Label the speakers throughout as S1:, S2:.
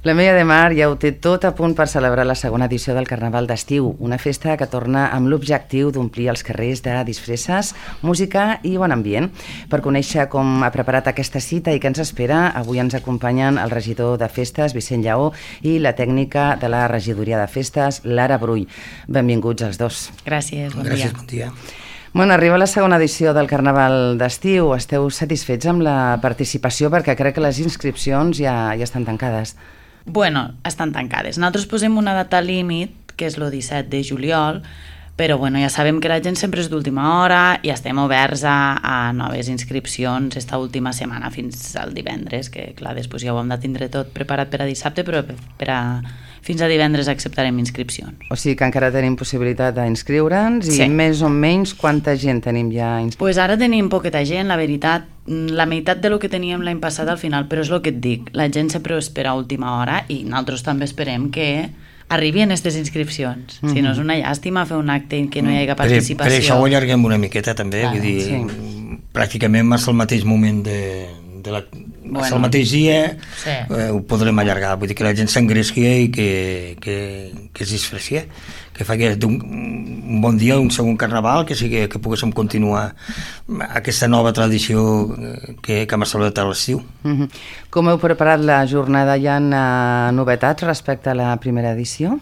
S1: La Meia de Mar ja ho té tot a punt per celebrar la segona edició del Carnaval d'Estiu, una festa que torna amb l'objectiu d'omplir els carrers de disfresses, música i bon ambient. Per conèixer com ha preparat aquesta cita i què ens espera, avui ens acompanyen el regidor de Festes, Vicent Lleó, i la tècnica de la regidoria de Festes, Lara Brull. Benvinguts els dos.
S2: Gràcies, bon dia.
S3: Gràcies, bon dia.
S1: Bueno, arriba la segona edició del Carnaval d'Estiu. Esteu satisfets amb la participació? Perquè crec que les inscripcions ja estan tancades.
S2: Bueno, estan tancades. Nosaltres posem una data límit, que és el 17 de juliol, però bueno, ja sabem que la gent sempre és d'última hora i estem oberts a noves inscripcions esta última setmana fins al divendres, que clar, després ja ho hem de tindre tot preparat per a dissabte, però fins a divendres acceptarem inscripcions.
S1: O sigui que encara tenim possibilitat d'inscriure'ns i més o menys quanta gent tenim ja inscrita?
S2: Pues ara tenim poqueta gent, la veritat, la meitat de lo que teníem l'any passat al final, però és el que et dic, la gent sempre ho espera a última hora i nosaltres també esperem que arribin aquestes inscripcions. Si no és una llàstima fer un acte en què no hi hagi participació.
S3: Per això ho allarguem una miqueta també, vull dir, pràcticament és el mateix moment el mateix dia, ho podrem allargar, vull dir que la gent s'engresqui i que es disfressi, que faci un bon dia, un segon carnaval, que poguéssim continuar aquesta nova tradició que hem celebrat a l'estiu.
S1: Com heu preparat la jornada? Hi ha novetats respecte a la primera edició?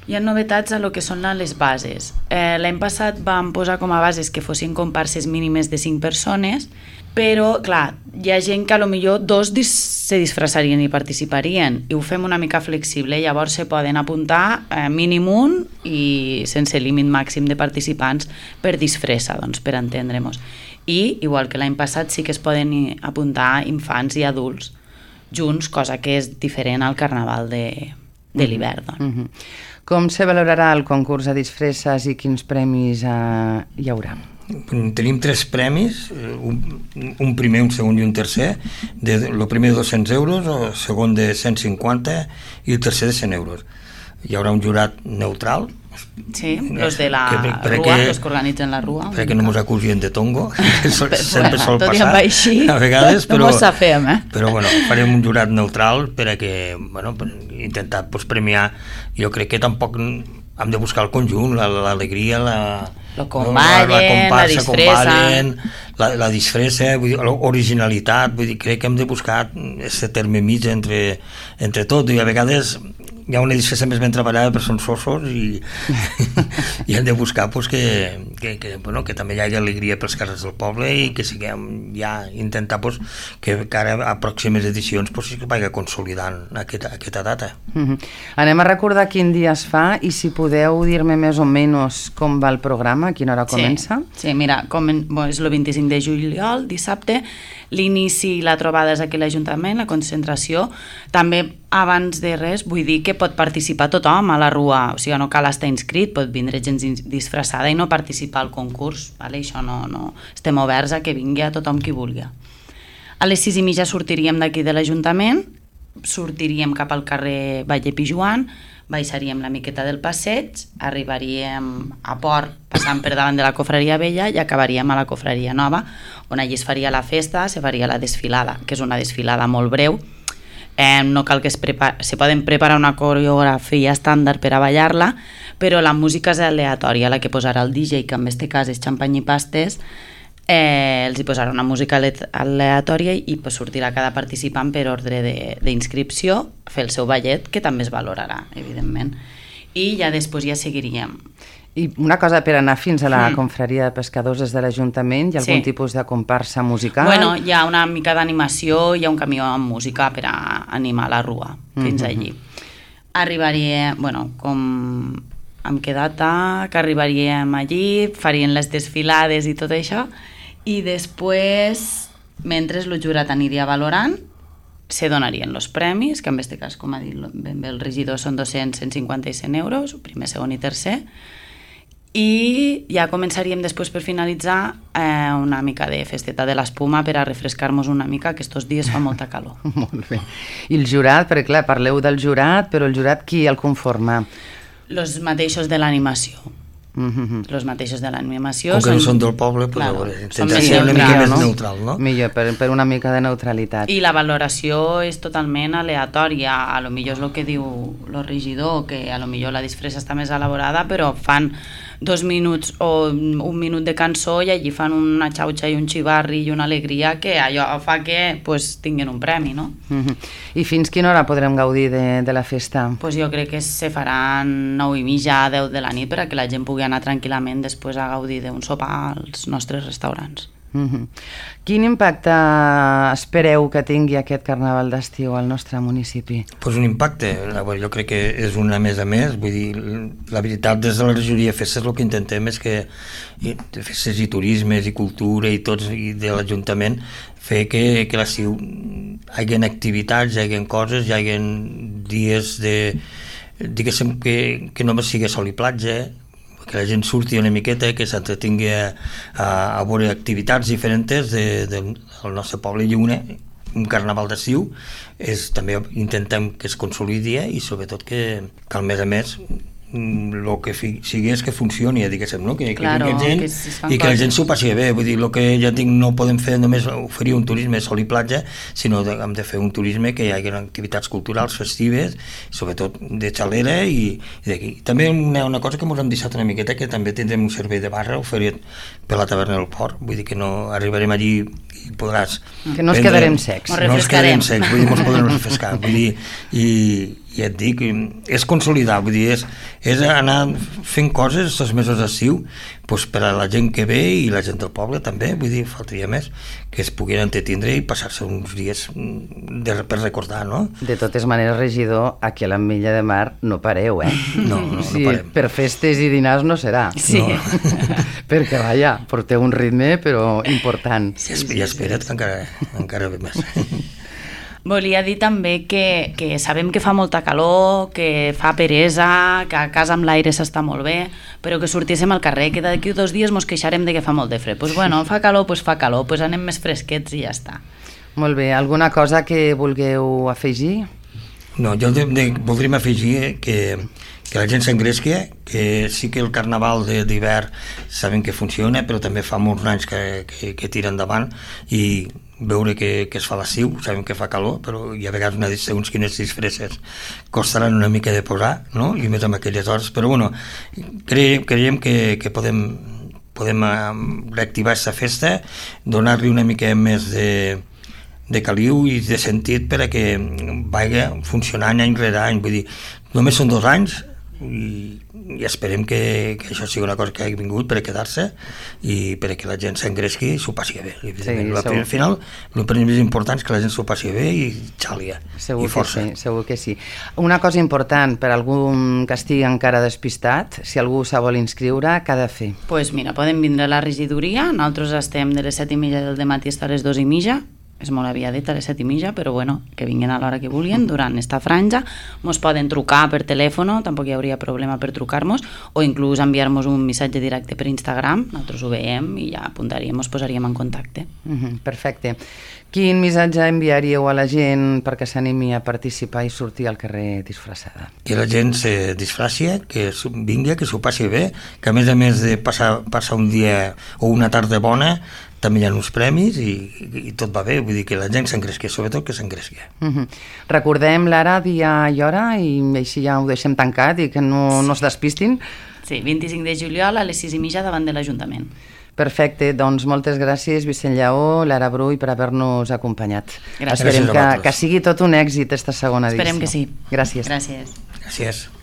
S2: Hi ha novetats a lo que són les bases. L'any passat vam posar com a bases que fossin comparses mínimes de 5 persones, però, clar, hi ha gent que potser 2 se disfressarien i participarien, i ho fem una mica flexible, llavors se poden apuntar mínim un i sense límit màxim de participants per disfressa, doncs, per entendre-nos. I, igual que l'any passat, sí que es poden apuntar infants i adults junts, cosa que és diferent al carnaval de l'hivern. Doncs.
S1: Com se valorarà el concurs de disfresses i quins premis hi haurà?
S3: Tenim 3 premis, un primer, un segon i un tercer. El primer de 200 euros, el segon de 150 i el tercer de 100 euros. Hi haurà un jurat neutral.
S2: Sí, els de la Rua, els que organitzen la Rua.
S3: Perquè no ens acusien de tongo, sempre sol passar
S2: a
S3: vegades, però
S2: bueno,
S3: farem un jurat neutral per intentar premiar. Jo crec que tampoc hem de buscar el conjunt, l'alegria, la comparsa, la disfressa, l'originalitat, crec que hem de buscar aquest terme mig entre tot, i a vegades hi ha una disfressa més ben treballada però són sossos i hem de buscar que també hi hagi alegria pels carrers del poble i que siguem ja intentar que ara a pròximes edicions que vagi consolidant aquesta data.
S1: Anem a recordar quin dia es fa i si podeu dir-me més o menys com va el programa, a quina hora comença?
S2: Sí, mira, és el 25 de juliol, dissabte, l'inici i la trobada és aquí a l'Ajuntament, la concentració. També, abans de res, vull dir que pot participar tothom a la Rua, o sigui, no cal estar inscrit, pot vindre gent disfressada i no participar al concurs, vale? Això no estem oberts a que vingui a tothom qui vulgui. A les 6:30 sortiríem d'aquí de l'Ajuntament, sortiríem cap al carrer Valle Pijuan, baixaríem la miqueta del passeig, arribaríem a Port passant per davant de la Cofreria Vella i acabaríem a la Cofreria Nova, on allí es faria la festa, se faria la desfilada, que és una desfilada molt breu. No cal que se poden preparar una coreografia estàndard per a ballar-la, però la música és aleatòria, la que posarà el DJ, que en aquest cas és Xampany i Pastes, els hi posarà una música aleatòria i sortirà cada participant per ordre d'inscripció, fer el seu ballet, que també es valorarà, evidentment. I ja després ja seguiríem.
S1: I una cosa, per anar fins a la confraria de pescadors des de l'Ajuntament, hi ha algun tipus de comparsa musical?
S2: Bueno, hi ha una mica d'animació, hi ha un camió amb música per a animar la Rua fins allí. Arribaria, com hem quedat que arribaríem allí, farien les desfilades i tot això, i després, mentre el jurat aniria valorant, se donarien els premis, que en aquest cas, com ha dit ben bé el regidor, són 200, 150 i 100 euros, primer, segon i tercer, i ja començaríem després per finalitzar una mica de festeta de l'espuma per a refrescar-nos una mica, que estos dies fa molta calor.
S1: Molt bé. I el jurat, perquè clar, parleu del jurat, però el jurat qui el conforma?
S2: Els mateixos de l'animació. Els mateixos de l'animació.
S3: Com que no són del poble, intentar ser una mica més neutral, no?
S1: Millor, per una mica de neutralitat.
S2: I la valoració és totalment aleatòria. A lo millor és el que diu el regidor, que a lo millor la disfressa està més elaborada, però fan 2 minuts o 1 minut de cançó i allí fan una xauxa i un xivarri i una alegria que allò fa que tinguin un premi, no?
S1: I fins quina hora podrem gaudir de la festa?
S2: Jo crec que se faran 9:30, 10 de la nit perquè la gent pugui anar tranquil·lament després a gaudir d'un sopar als nostres restaurants.
S1: Quin impacte espereu que tingui aquest carnaval d'estiu al nostre municipi?
S3: Un impacte, jo crec que és una més a més, vull dir, la veritat des de la regidoria de festes el que intentem és que festes i turismes i cultura i tots i de l'Ajuntament fer que l'estiu hi hagi activitats, hi hagi coses, hi hagi dies de, diguéssim, que només sigui sol i platja, que la gent surti una miqueta, que s'entretingui a veure activitats diferents del nostre poble i un carnaval d'estiu també intentem que es consolidi i sobretot que al mes a mes el que sigui és que funcioni, diguéssim, no? Que vingui gent i que la gent s'ho passi bé. Vull dir, el que ja dic, no podem fer només oferir un turisme sol i platja, sinó que hem de fer un turisme que hi hagi activitats culturals festives, sobretot de xalera i d'aquí. També una cosa que ens hem deixat una miqueta, que també tindrem un servei de barra oferit per la taverna del Port, vull dir que no arribarem allí i podràs...
S1: Que no ens quedarem secs.
S3: No ens quedarem secs, vull dir, ens podrem refrescar, vull dir, i ja et dic, és consolidar, vull dir, és anar fent coses els mesos d'estiu per a la gent que ve i la gent del poble també, vull dir, faltaria més que es puguin entretindre i passar-se uns dies per recordar, no?
S1: De totes maneres, regidor, aquí a l'Ametlla de Mar no pareu,
S3: No parem.
S1: Per festes i dinars no serà.
S2: Sí.
S1: No. Perquè, vaja, porteu un ritme, però important.
S3: I espera't que encara ve més.
S2: Volia dir també que sabem que fa molta calor, que fa peresa, que a casa amb l'aire s'està molt bé, però que sortíssim al carrer, que d'aquí 2 dies mos queixarem de que fa molt de fred. Fa calor, anem més fresquets i ja està.
S1: Molt bé, alguna cosa que vulgueu afegir?
S3: No, jo voldríem afegir que la gent s'engresqui, que sí que el carnaval d'hivern sabem que funciona, però també fa molts anys que tira endavant i veure que es fa l'estiu, sabem que fa calor, però hi ha vegades segons quines disfresses costaran una mica de posar, no? I més amb aquelles hores, però bueno, creiem que podem reactivar aquesta festa, donar-li una mica més de caliu i de sentit per a que vagi funcionant any rere any, vull dir, només són 2 anys i esperem que això sigui una cosa que hagi vingut per a quedar-se i per a que la gent s'engresqui i s'ho passi bé. Al final, el primer més important és que la gent s'ho passi bé i xàlia, i força.
S1: Segur que sí. Una cosa important per a algú que estigui encara despistat, si algú se vol inscriure, què ha de fer?
S2: Doncs mira, podem vindre a la regidoria, nosaltres estem de les 7:30 del matí fins a les 2:30, és molt aviadet a les 7:30, però bueno, que vinguin a l'hora que vulguin durant esta franja. Mos poden trucar per telèfon, tampoc hi hauria problema per trucar-nos, o inclús enviar-nos un missatge directe per Instagram, nosaltres ho veiem i ja apuntaríem, ens posaríem en contacte.
S1: Perfecte. Quin missatge enviaríeu a la gent perquè s'animi a participar i sortir al carrer disfressada?
S3: Que la gent se disfraci, que vingui, que s'ho passi bé, que a més de passar un dia o una tarda bona, també hi ha uns premis i tot va bé, vull dir que la gent s'engresqui, sobretot que s'engresqui.
S1: Recordem l'ara, dia i hora, i així ja ho deixem tancat i que no es despistin.
S2: Sí, 25 de juliol a les 6:30 davant de l'Ajuntament.
S1: Perfecte, doncs moltes gràcies Vicent Lleó, Lara Brull, per haver-nos acompanyat.
S2: Gràcies.
S1: Esperem que sigui tot un èxit esta segona edició.
S2: Esperem que sí.
S1: Gràcies.
S2: Gràcies.
S3: Gràcies.